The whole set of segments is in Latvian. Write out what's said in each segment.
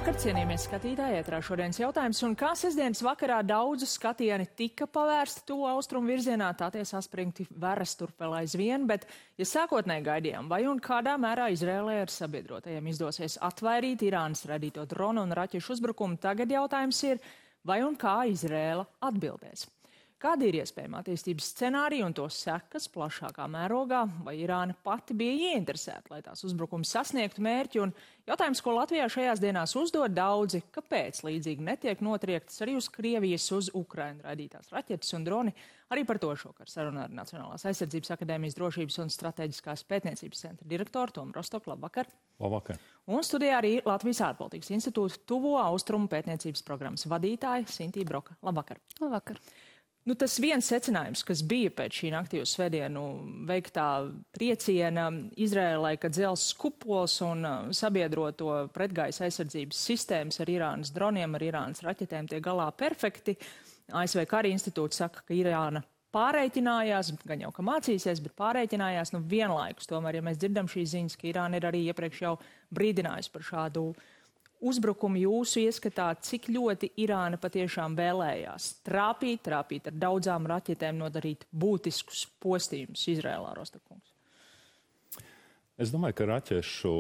Labvakar, cienījamies skatītāji, ētrā šodienas jautājums. Un kā sestdienas vakarā daudzu skatieni tika pavērsti tuvu austrumu virzienā, tā tie saspringti veras tur vēl aizvien, bet, ja sākotnēji gaidījām, vai un kādā mērā Izrēlē ar sabiedrotajiem izdosies atvairīt Irānas radīto dronu un raķešu uzbrukumu, tagad jautājums ir, vai un kā Izrēla atbildēs. Kādi ir iespējami attīstības scenāriji un to sekas plašākā mērogā, vai Irāna pati bija ieinteresēta, lai tās uzbrukums sasniegtu mērķi? Un jautājums, ko Latvijā šajās dienās uzdod daudzi, kāpēc līdzīgi netiek notriektas arī uz Krievijas, uz Ukrainu raidītās raķetes un droni? Arī par to šokar sarunā ar Nacionālās aizsardzības akadēmijas drošības un strateģiskās pētniecības centra direktoru Tomu Rostoku. Labvakar! Labvakar! Un studijā arī Latvijas ārpolitikas institūta tuvo austrumu pētniecības programmas vadītāja Sintīja Broka. Labvakar! Labvakar! Tas viens secinājums, kas bija pēc šī naktī uz svētdienu veiktā trieciena Izrēlai, ka dzelzs kupols un sabiedroto pretgaisa aizsardzības sistēmas ar Irānas droniem, ar Irānas raķetēm tiek galā perfekti. ASV Kara institūts saka, ka Irāna pārreikinājās, gan jau ka mācīsies, bet pārreikinājās vienlaikus. Tomēr, ja mēs dzirdam šīs ziņas, ka Irāna ir arī iepriekš jau brīdinājusi par šādu uzbrukumu, jūsu ieskatā, cik ļoti Irāna patiešām vēlējās trāpīt ar daudzām raķetēm, nodarīt būtiskus postījumus Izrēlā, Rostokungs? Es domāju, ka raķešu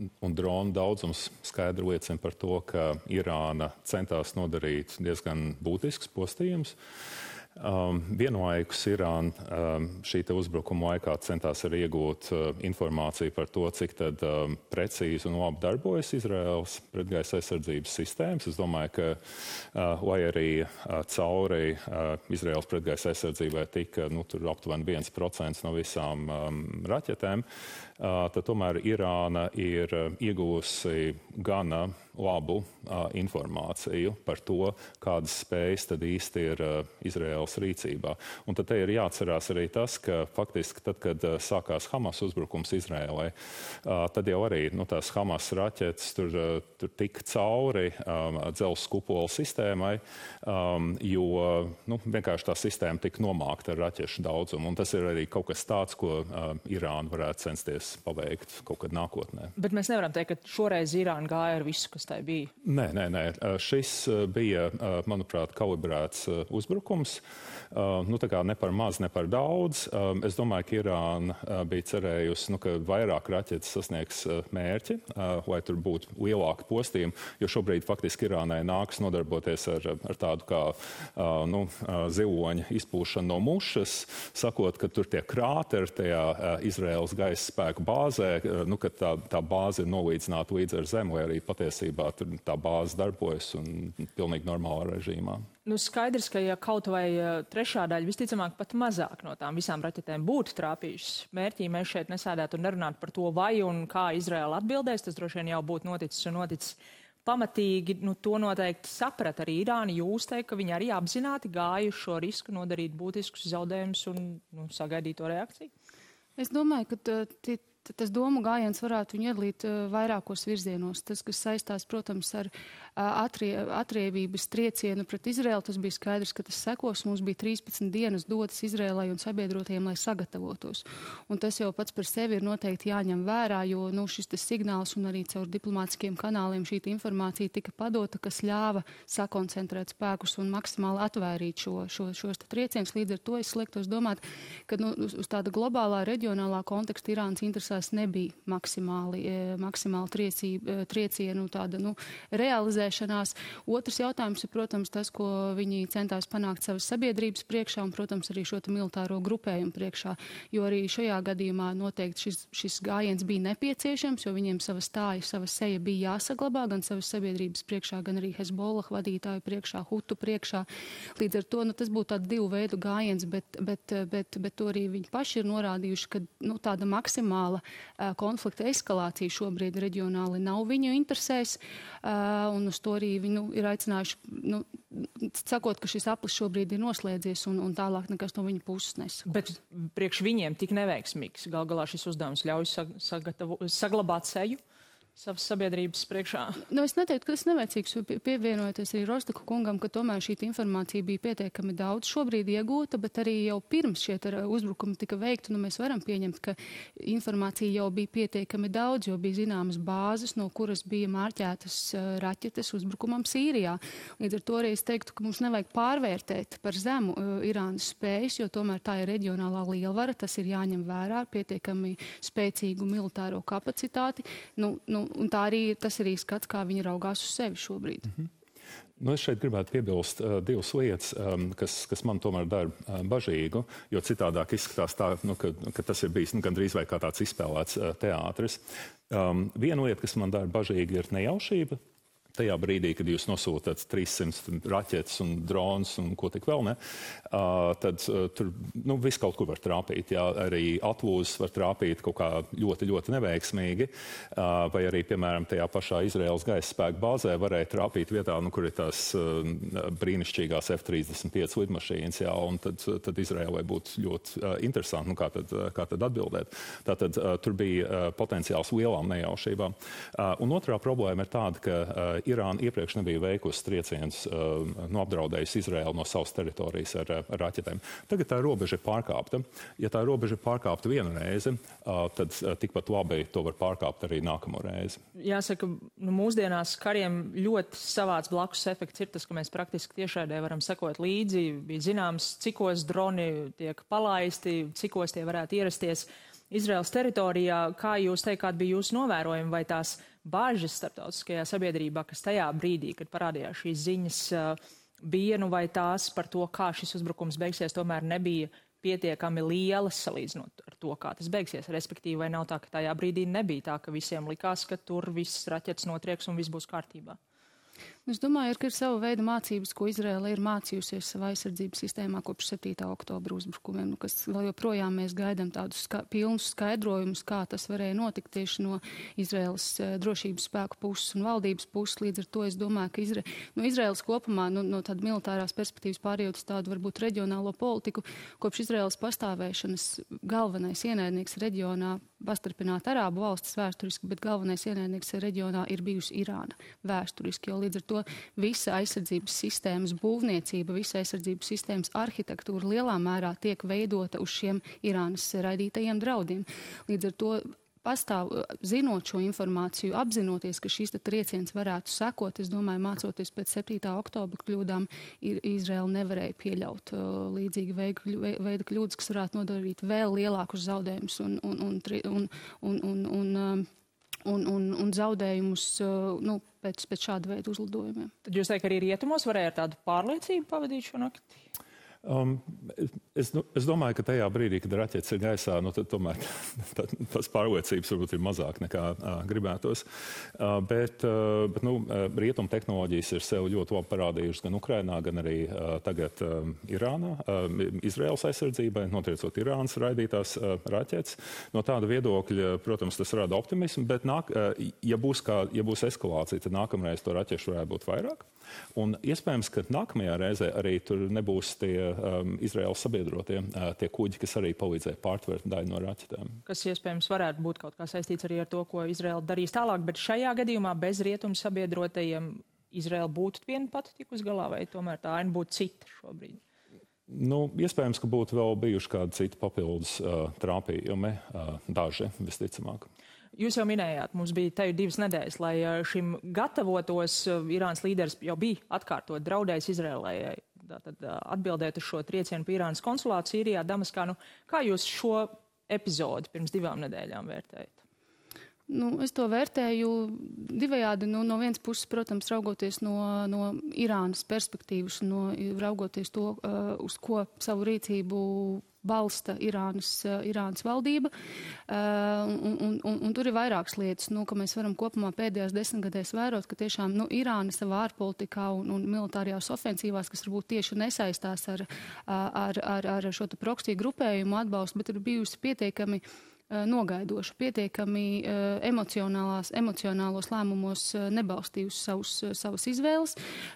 un dronu daudzums skaidri liecina par to, ka Irāna centās nodarīt diezgan būtisks postījums. Vienlaikus Irāna šī uzbrukuma laikā centās arī iegūt informāciju par to, cik tad precīzi un labi darbojas Izraēlas pretgaisa aizsardzības sistēmas. Es domāju, ka lai arī cauri Izraēlas pretgaisa aizsardzībai tika tur aptuveni 1% no visām raķetēm, tad tomēr Irāna ir iegūsi gana labu informāciju par to, kādas spējas tad īsti ir Izraēlas rīcībā. Un tad te ir jāatcerās arī tas, ka faktiski tad, kad sākās Hamas uzbrukums Izraēlai, tad jau arī tās Hamas raķetes tur tika cauri dzelzs kupola sistēmai, jo vienkārši tā sistēma tika nomākta ar raķešu daudzumu. Un tas ir arī kaut kas tāds, ko Irāna varētu censties paveikt kaut kad nākotnē. Bet mēs nevaram teikt, ka šoreiz Irāna gāja ar visu, kas tai bija. Nē. Šis bija, manuprāt, kalibrēts uzbrukums. Tā kā ne par maz, ne par daudz. Es domāju, ka Irāna bija cerējusi, ka vairāk raķetes sasniegs mērķi, lai tur būtu lielāka postījuma, jo šobrīd faktiski Irānai nākas nodarboties ar tādu kā ziloņa izpūšanu no mušas, sakot, ka tur tie krāteri tajā Izraēlas gaisa spēku bāzē, ka tā bāze ir nolīdzināta līdz ar zemi, vai arī patiesībā tur tā bāze darbojas un pilnīgi normālā režīmā. Skaidrs, ka ja kaut vai trešā daļa, visticamāk pat mazāk no tām visām raķetēm būtu trāpījušas mērķī, mēs šeit nesēdētu un nerunātu par to, vai un kā Izraēla atbildēs. Tas droši vien jau būtu noticis pamatīgi. To noteikti saprat arī Irāna. Jūs teikt, ka viņi arī apzināti gāja uz šo risku nodarīt būtiskus zaudējumus un sagaidīt to reakciju? Es domāju, ka tas domu gājiens varētu viņu iedalīt vairākos virzienos. Tas, kas saistās, protams, ar atriebības triecienu pret Izraēlu, tas bija skaidrs, ka tas sekos. Mums bija 13 dienas dotas Izraēlai un sabiedrotajiem, lai sagatavotos. Un tas jau pats par sevi ir noteikti jāņem vērā, jo šis signāls un arī caur diplomātiskiem kanāliem šī informācija tika padota, kas ļāva sakoncentrēt spēkus un maksimāli atvairīt šos triecienus. Līdz ar to es liektos domāt, ka uz tāda globālā, reģionālā konteksta Irānas interesēs nebija maksimāli triecienu tāda realizēšanās. Otrs jautājums ir, protams, tas, ko viņi centās panākt savas sabiedrības priekšā un, protams, arī šo militāro grupējumu priekšā, jo arī šajā gadījumā noteikti šis gājiens bija nepieciešams, jo viņiem sava stāja, sava seja bija jāsaglabā gan savas sabiedrības priekšā, gan arī Hezbollah vadītāju priekšā, Hutu priekšā. Līdz ar to tas būtu tāds divu veidu gājiens, bet to arī viņi paši ir norādījuši, ka tāda maksimāla konflikta eskalācija šobrīd reģionāli nav viņu interesēs, un uz to arī viņi ir aicinājuši, sakot, ka šis aplis šobrīd ir noslēdzies un tālāk nekas no viņa puses nesako. Bet priekš viņiem tik neveiksmīgs. Gal galā šis uzdevums ļauj saglabāt seju? savas sabiedrības priekšā? Nu, es neteiktu, ka tas nevajadzīgs, pievienojoties arī Rostaku kungam, ka tomēr šī informācija bija pietiekami daudz šobrīd iegūta, bet arī jau pirms šie uzbrukumi tika veikti, nu mēs varam pieņemt, ka informācija jau bija pietiekami daudz, jo bija zināmas bāzes, no kuras bija mārķētas raķetes uzbrukumam Sīrijā. Līdz ar to arī es teiktu, ka mums nevajag pārvērtēt par zemu Irānas spējas, jo tomēr tā ir reģionālā lielvara, tas ir jāņem vērā ar pietiekami spēcīgu militāro kapacitāti. Un tas arī skats, kā viņi raugās uz sevi šobrīd. Nu, es šeit gribētu piebilst divas lietas, kas man tomēr dara bažīgu, jo citādāk izskatās tā, ka tas ir bijis gandrīz vai kā tāds izspēlēts teātris. Viena lieta, kas man dara bažīgi, ir nejaušība. Tajā brīdī, kad jūs nosūtat 300 raķetes un drons un ko tik vēl ne, tad tur viss kaut kur var trāpīt. Jā, arī atvūzes var trāpīt kaut kā ļoti, ļoti neveiksmīgi, vai arī, piemēram, tajā pašā Izraēlas gaisa spēku bāzē varēja trāpīt vietā, kur ir tās brīnišķīgās F-35 lidmašīnas, jā, un tad Izraēlai būtu ļoti interesanti, kā tad atbildēt. Tātad tur bija potenciāls lielām nejaušībām. Un otrā problēma ir tāda, ka Irāna iepriekš nebija veikusi triecienus, apdraudējusi Izraēlu no savas teritorijas ar raķetēm. Tagad tā robeža ir pārkāpta. Ja tā robeža ir pārkāpta vienu reizi, tad tikpat labi to var pārkāpt arī nākamo reizi. Jāsaka, mūsdienās kariem ļoti savāds blakus efekts ir tas, ka mēs praktiski tiešraidē varam sekot līdzi. Bija zināms, cikos droni tiek palaisti, cikos tie varētu ierasties Izraēlas teritorijā. Kā jūs teikt, kāda bija jūsu novērojuma, vai tās bāžas starptautiskajā sabiedrībā, kas tajā brīdī, kad parādījās šīs ziņas, bija, vai tās par to, kā šis uzbrukums beigsies, tomēr nebija pietiekami lielas salīdzinot ar to, kā tas beigsies. Respektīvi, vai nav tā, ka tajā brīdī nebija tā, ka visiem likās, ka tur viss raķetes notrieks un viss būs kārtībā? Es domāju, ka ir sava veida mācības, ko Izraēla ir mācījusies savā aizsardzības sistēmā kopš 7. oktobra uzbrukumiem, kas vēl joprojām mēs gaidām tādus pilnus skaidrojumus, kā tas varēja notikt tieši no Izraēlas drošības spēku puses un valdības puses. Līdz ar to es domāju, ka Izraēlas kopumā no tāda militārās perspektīvas pārējot uz tādu varbūt reģionālo politiku, kopš Izraēlas pastāvēšanas galvenais ienaidnieks reģionā, pastarpināt Arābu valstis vēsturiski, bet galvenais ienaidnieks reģionā ir bijusi Irāna vēsturiski, jo līdz ar to visa aizsardzības sistēmas būvniecība, visa aizsardzības sistēmas arhitektūra lielā mērā tiek veidota uz šiem Irānas raidītajiem draudiem. Līdz ar to pastāv, zinot šo informāciju, apzinoties, ka šīs trieciens varētu sekot, es domāju, mācoties pēc 7. oktobra kļūdām, Izraēla nevarēja pieļaut līdzīgi veida kļūdas, kas varētu nodarīt vēl lielākus zaudējumus un zaudējumus pēc šāda veida uzlidojumiem. Tad jūs teikt, ka arī rietumos varēja ar tādu pārliecību pavadīt šo nakti? Es domāju, ka tajā brīdī, kad raķetes ir gaisā, tad tomēr tās pārliecības varbūt ir mazāk nekā gribētos. Bet rietumu tehnoloģijas ir sev ļoti labi parādījušas gan Ukrainā, gan arī tagad Irānā, Izraēlas aizsardzībai, notriecot Irānas raidītās raķetes. No tāda viedokļa, protams, tas rada optimismu, bet ja būs eskalācija, tad nākamreiz to raķešu varētu būt vairāk. Un iespējams, ka nākamajā reizē arī tur nebūs tie Izraēlas sabiedrotie, tie kuģi, kas arī palīdzēja pārtvert daļu no raķetēm. Kas iespējams varētu būt kaut kā saistīts arī ar to, ko Izraēla darīs tālāk, bet šajā gadījumā bez rietumu sabiedrotajiem Izraēla būtu viena pati tikus galā, vai tomēr tā aina būtu cita šobrīd? Iespējams, ka būtu vēl bijuši kādi citi papildus trāpījumi, daži visticamāk. Jūs jau minējāt, mums bija te 2 nedēļas, lai šim gatavotos. Irānas līderis jau bija atkārtot draudējis Izraēlai atbildēt uz šo triecienu pie Irānas konsulātu Sīrijā, Damaskā. Kā jūs šo epizodi pirms 2 nedēļām vērtējat? Es to vērtēju divējādi. No vienas puses, protams, raugoties no Irānas perspektīvas, raugoties to, uz ko savu rīcību balsta Irānas valdība. Un tur ir vairākas lietas, ka mēs varam kopumā pēdējās 10 gadēs vērot, ka tiešām Irāna savā ārpolitikā un militārajās ofensīvās, kas varbūt tieši nesaistās ar šo proksiju grupējumu atbalstu, bet ir bijusi pietiekami nogaidoša, pietiekami emocionālos lēmumos nebalstījusi savas izvēles.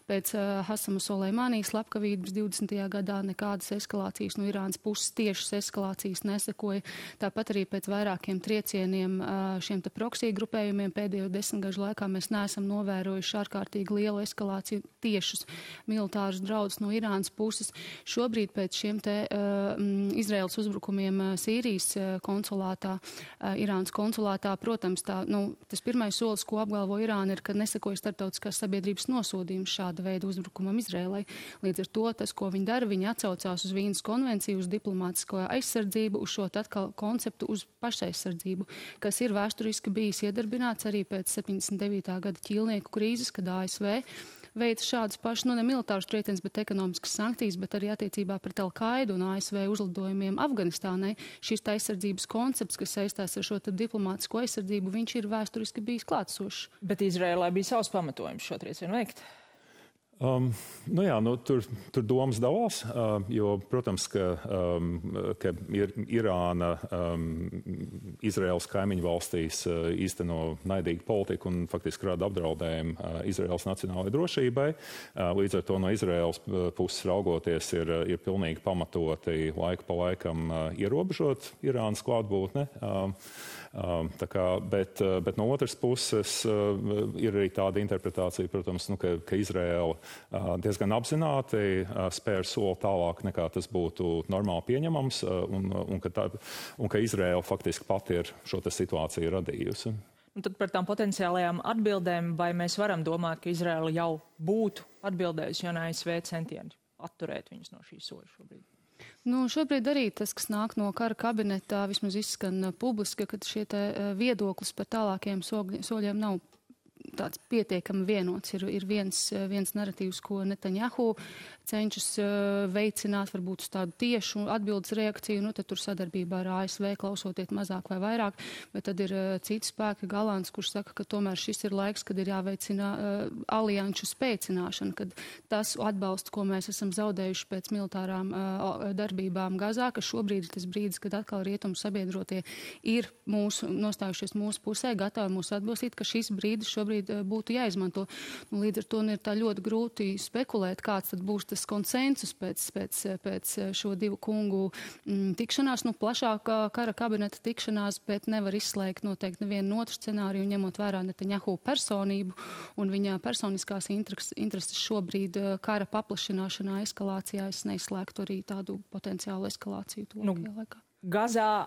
Pēc Hasama Soleimānī slepkavības 20. gadā nekādas eskalācijas no Irānas puses, tiešas eskalācijas nesekoja. Tāpat arī pēc vairākiem triecieniem šiem te proksī grupējumiem pēdējo 10 gažu laikā mēs neesam novērojuši ārkārtīgi lielu eskalāciju, tiešus militārus draudus no Irānas puses. Šobrīd pēc šiem te Izraēlas uzbrukumiem Sīrijas konsulātā, Irānas konsulātā, protams, tas pirmais solis, ko apgalvo Irāna, ir, ka nesekoja starptautiskās sabiedrības nosodījums šāda veida uzbrukumam Izraēlai. Līdz ar to tas, ko viņi dara, viņi atsaucās uz Vīnas konvenciju, uz diplomātisko aizsardzību, uz šo atkal konceptu, uz pašaizsardzību, kas ir vēsturiski bijis iedarbināts arī pēc 79. gada ķīlnieku krīzes, kad ASV veica šādus pašus, ne militārus triecienus, bet ekonomiskas sankcijas, bet arī attiecībā pret Al-Qaidu un ASV uzlidojumiem Afganistānai. Šis aizsardzības koncepts, kas saistās ar šo diplomātisko aizsardzību, viņš ir vēsturiski bijis klātsošs. Bet Izraēlai bija savs pamatojums šo triecienu veikt. Tur domas dalās, jo, protams, ka Irāna Izraēlas kaimiņu valstīs īsteno naidīgu politiku un faktiski rada apdraudējumu Izraēlas nacionālajai drošībai. Līdz ar to no Izraēlas puses raugoties ir pilnīgi pamatoti laiku pa laikam ierobežot Irānas klātbūtne. Bet no otras puses ir arī tāda interpretācija, protams, ka Izraēla diezgan apzināti spēr soli tālāk nekā tas būtu normāli pieņemams un ka Izraēla faktiski pati ir šo situāciju radījusi. Un tad par tām potenciālajām atbildēm, vai mēs varam domāt, ka Izraēla jau būtu atbildējusi, ja ASV centieni atturēt viņus no šī soļa šobrīd? Šobrīd arī tas, kas nāk no kara kabinetā, vismaz izskan publiski, ka šie viedoklis par tālākiem soļiem nav tāds pietiekami vienots. Ir viens narratīvs, ko Netanjahu cenšas veicināt, varbūt uz tādu tiešu atbildes reakciju, tad tur sadarbībā ar ASV klausoties mazāk vai vairāk, bet tad ir cits spēka Galants, kurš saka, ka tomēr šis ir laiks, kad ir jāveicina alianšu spēcināšana, kad tas atbalsts, ko mēs esam zaudējuši pēc militārām darbībām Gazā, ka šobrīd ir tas brīdis, kad atkal rietumu sabiedrotie ir nostājušies mūsu pusē, gatavi mūs atbalstīt, ka šis brīdis šobrīd būtu jāizmanto. Līdz ar to ir tā ļoti grūti spekulēt, kāds tad būs tas konsensus pēc šo divu kungu tikšanās, plašākā kara kabineta tikšanās, bet nevar izslēgt noteikti nevienu otru scenāriju, ņemot vērā Netanjahu personību un viņa personiskās intereses šobrīd kara paplašināšanā, eskalācijā. Es neizslēgtu arī tādu potenciālu eskalāciju tuvākajā laikā. Gazā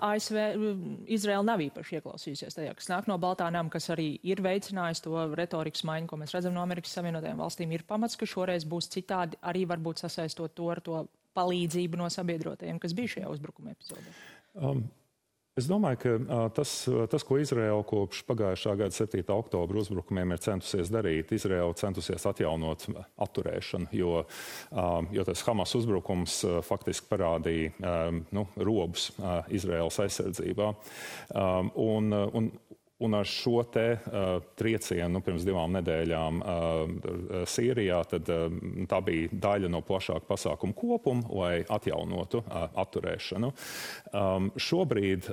Izraela nav īpaši ieklausījusies tajā, kas nāk no Baltā nama, kas arī ir veicinājis to retorikas maiņu, ko mēs redzam no Amerikas Savienotajām valstīm. Ir pamats, ka šoreiz būs citādi, arī varbūt sasaistot to ar to palīdzību no sabiedrotajiem, kas bija šajā uzbrukuma epizodē. Es domāju, ka tas, ko Izraēla kopš pagājušā gada 7. oktobra uzbrukumiem ir centusies darīt, Izraēla centusies atjaunot atturēšanu, jo tas Hamas uzbrukums faktiski parādīja robus Izraēlas aizsardzībā. Un ar šo triecienu pirms 2 nedēļām Sīrijā, tad tā bija daļa no plašāka pasākuma kopuma, lai atjaunotu atturēšanu. Šobrīd,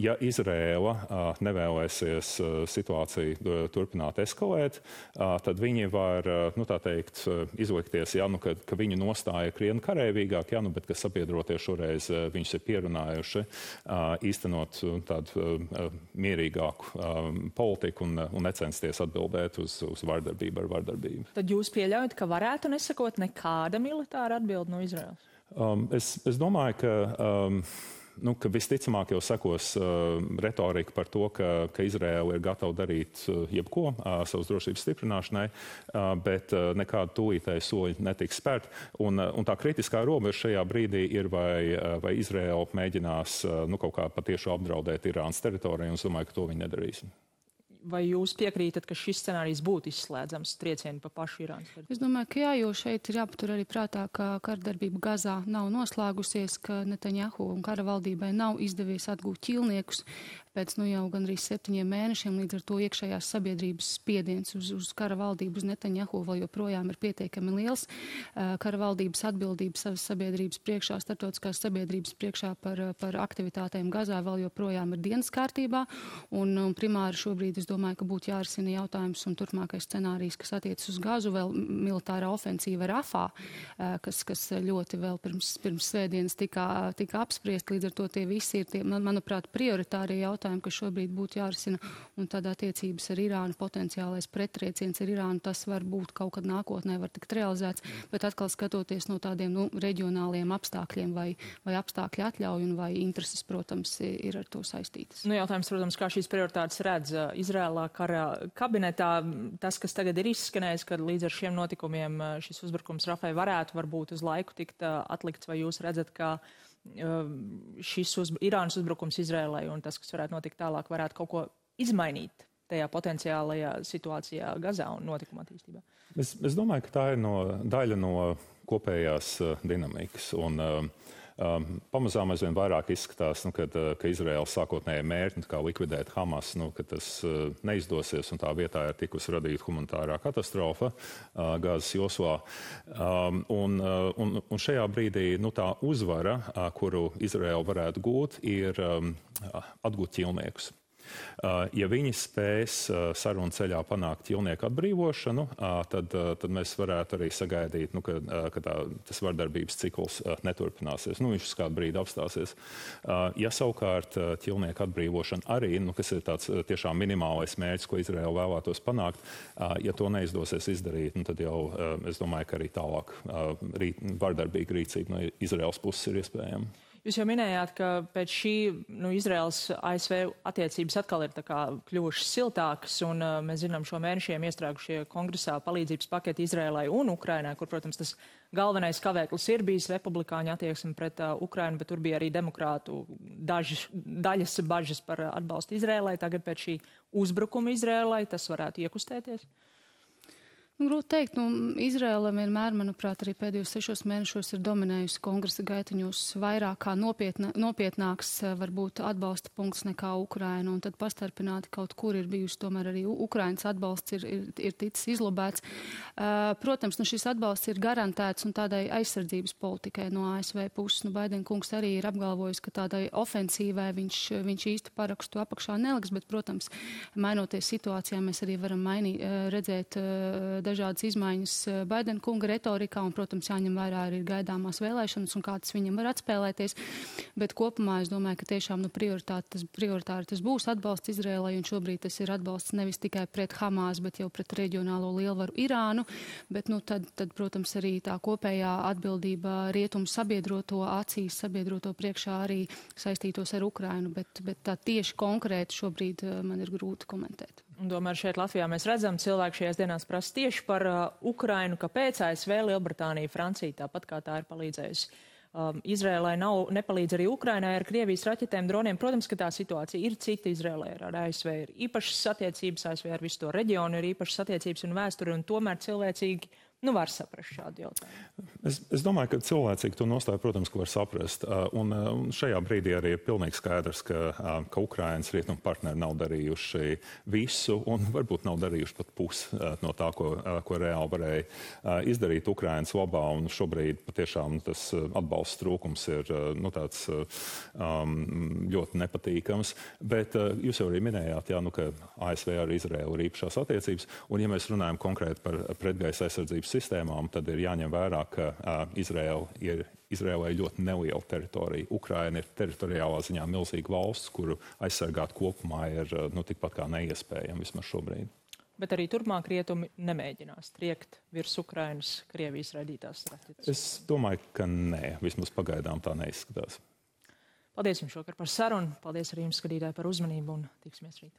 ja Izraēla nevēlēsies situāciju turpināt eskalēt, tad viņi var, izlikties, ka viņu nostāja krietni karavīgāk, bet ka sabiedrotie šoreiz viņus ir pierunājuši īstenot tādu mierīgāku politiku un necensties atbildēt uz vardarbību ar vardarbību. Tad jūs pieļaujat, ka varētu nesakot nekāda militāra atbilde no Izraēlas? Es domāju, ka visticamāk jau sekos retorika par to, ka Izraēla ir gatava darīt jebko savas drošības stiprināšanai, bet nekāda tūlītēja soļi netiks spērt. Un tā kritiskā robeža šajā brīdī ir, vai Izraēla mēģinās kaut kā patieši apdraudēt Irānas teritoriju, un es domāju, ka to viņi nedarīs. Vai jūs piekrītat, ka šis scenārijs būtu izslēdzams triecienu pa pašu Irānas teritoriju? Es domāju, ka jā, jo šeit ir jāpatur arī prātā, ka kardarbība Gazā nav noslēgusies, ka Netanjahu un kara valdībai nav izdevies atgūt ķīlniekus. pēc jau gandrīz 7 mēnešiem, līdz ar to iekšējās sabiedrības spiediens uz kara valdību, uz Netanjahu vēl joprojām ir pietiekami liels. Kara valdības atbildība savas sabiedrības priekšā, starptautiskās sabiedrības priekšā par aktivitātēm Gazā vēl joprojām ir dienas kārtībā, un primāri šobrīd es domāju, ka būtu jārisina jautājums un turpmākais scenārijs, kas attiecas uz Gazu, vēl militārā ofensīva Rafā, kas ļoti vēl pirms svētdienas tika apspriest, līdz ar to tie visi ir tie, manuprāt, prioritārie jautājumi, kas šobrīd būtu jārisina, un tad attiecības ar Irānu, potenciālais prettrieciens ar Irānu, tas var būt kaut kad nākotnē, var tikt realizēts, bet atkal skatoties no tādiem reģionāliem apstākļiem vai apstākļi atļauj un vai intereses, protams, ir ar to saistītas. Jautājums, protams, kā šīs prioritātes redz Izrēlā kara kabinetā, tas, kas tagad ir izskanējis, kad līdz ar šiem notikumiem šis uzbrukums Rafai varētu varbūt uz laiku tikt atlikts, vai jūs redzat, ka šis Irānas uzbrukums Izrēlai un tas, kas varētu notikt tālāk, varētu kaut ko izmainīt tajā potenciālajā situācijā Gazā un notikuma attīstībā? Es domāju, ka tā ir daļa no kopējās dinamikas. Pamazām aizvien vairāk izskatās, ka Izraēlas sākotnējie mērķi, kā likvidēt Hamas, ka tas neizdosies un tā vietā ir tikusi radīta humanitārā katastrofa Gazas joslā. Un šajā brīdī tā uzvara, kuru Izraēla varētu gūt, ir atgūt ķilniekus. Ja viņi spēs sarunu ceļā panākt ķilnieku atbrīvošanu, tad mēs varētu arī sagaidīt, ka tas vardarbības cikls neturpināsies. Viņš uz kādu brīdi apstāsies. Ja savukārt ķilnieku atbrīvošana arī, kas ir tāds tiešām minimālais mērķis, ko Izraēla vēlētos panākt, ja to neizdosies izdarīt, tad jau es domāju, ka arī tālāk vardarbīga rīcība no Izraēlas puses ir iespējama. Jūs jau minējāt, ka pēc šī Izraēlas-ASV attiecības atkal ir kļuvušas siltākas, un mēs zinām šo mēnešiem iestrēgušie kongresā palīdzības paketi Izraēlai un Ukrainai, kur, protams, tas galvenais kavēklis ir bijis republikāņu attieksme pret Ukrainu, bet tur bija arī demokrātu daļas bažas par atbalstu Izraēlai. Tagad pēc šī uzbrukuma Izraēlai tas varētu iekustēties? Grūti teikt, Izraēla vienmēr, manuprāt, arī pēdējos 6 mēnešos ir dominējusi kongresa gaitiņos vairāk kā nopietnāks varbūt atbalsta punkts nekā Ukraina, un tad pastarpināti kaut kur ir bijusi tomēr arī Ukrainas atbalsts ir ticis izlobēts. Protams, šis atbalsts ir garantēts un tādai aizsardzības politikai no ASV puses. Baiden kungs arī ir apgalvojis, ka tādai ofensīvai viņš īsti parakstu apakšā neliks, bet, protams, mainoties situācijā, mēs arī varam redzēt dažādas izmaiņas Baidena kunga retorikā, un, protams, jāņem vērā arī gaidāmās vēlēšanas un kā tas viņam var atspēlēties. Bet kopumā es domāju, ka tiešām prioritāri tas būs atbalsts Izrēlai, un šobrīd tas ir atbalsts nevis tikai pret Hamas, bet jau pret reģionālo lielvaru Irānu. Bet, tad, protams, arī tā kopējā atbildība rietumu sabiedroto acīs, sabiedroto priekšā arī saistītos ar Ukrainu, bet tā tieši konkrēti šobrīd man ir grūti komentēt. Un tomēr šeit Latvijā mēs redzam, cilvēki šajās dienās prasa tieši par Ukrainu, kāpēc ASV, Lielbritānija, Francija, tāpat kā tā ir palīdzējusi Izrēlai, nepalīdz arī Ukrainai ar Krievijas raķetēm, droniem. Protams, ka tā situācija ir cita. Izrēlai ar ASV ir īpašas attiecības, ASV ar visu to reģionu ir īpašas attiecības un vēsturi, un tomēr cilvēcīgi var saprast šādu jautājumu. Es domāju, ka cilvēcīgi to nostāju, protams, ka var saprast. Un šajā brīdī arī ir pilnīgi skaidrs, ka Ukrainas rietumu partneri nav darījuši visu un varbūt nav darījuši pat pusi no tā, ko reāli varēja izdarīt Ukrainas labā. Un šobrīd patiešām tas atbalsts trūkums ir tāds ļoti nepatīkams. Bet jūs jau arī minējāt, ka ASV ar Izraēlu ir īpašās attiecības. Un ja mēs runājam konkrēti par pretgaisa aizsardzības sistēmām, tad ir jāņem vērā, ka Izraēlai ir ļoti neliela teritorija. Ukraina ir teritoriālā ziņā milzīga valsts, kuru aizsargāt kopumā ir tikpat kā neiespējami vismaz šobrīd. Bet arī turpmāk rietumi nemēģinās triekt virs Ukrainas Krievijas raidītās raķetes? Es domāju, ka nē. Vismaz pagaidām tā neizskatās. Paldies jums šokar par sarunu. Paldies arī jums, skatītāji, par uzmanību un tiksimies rīt.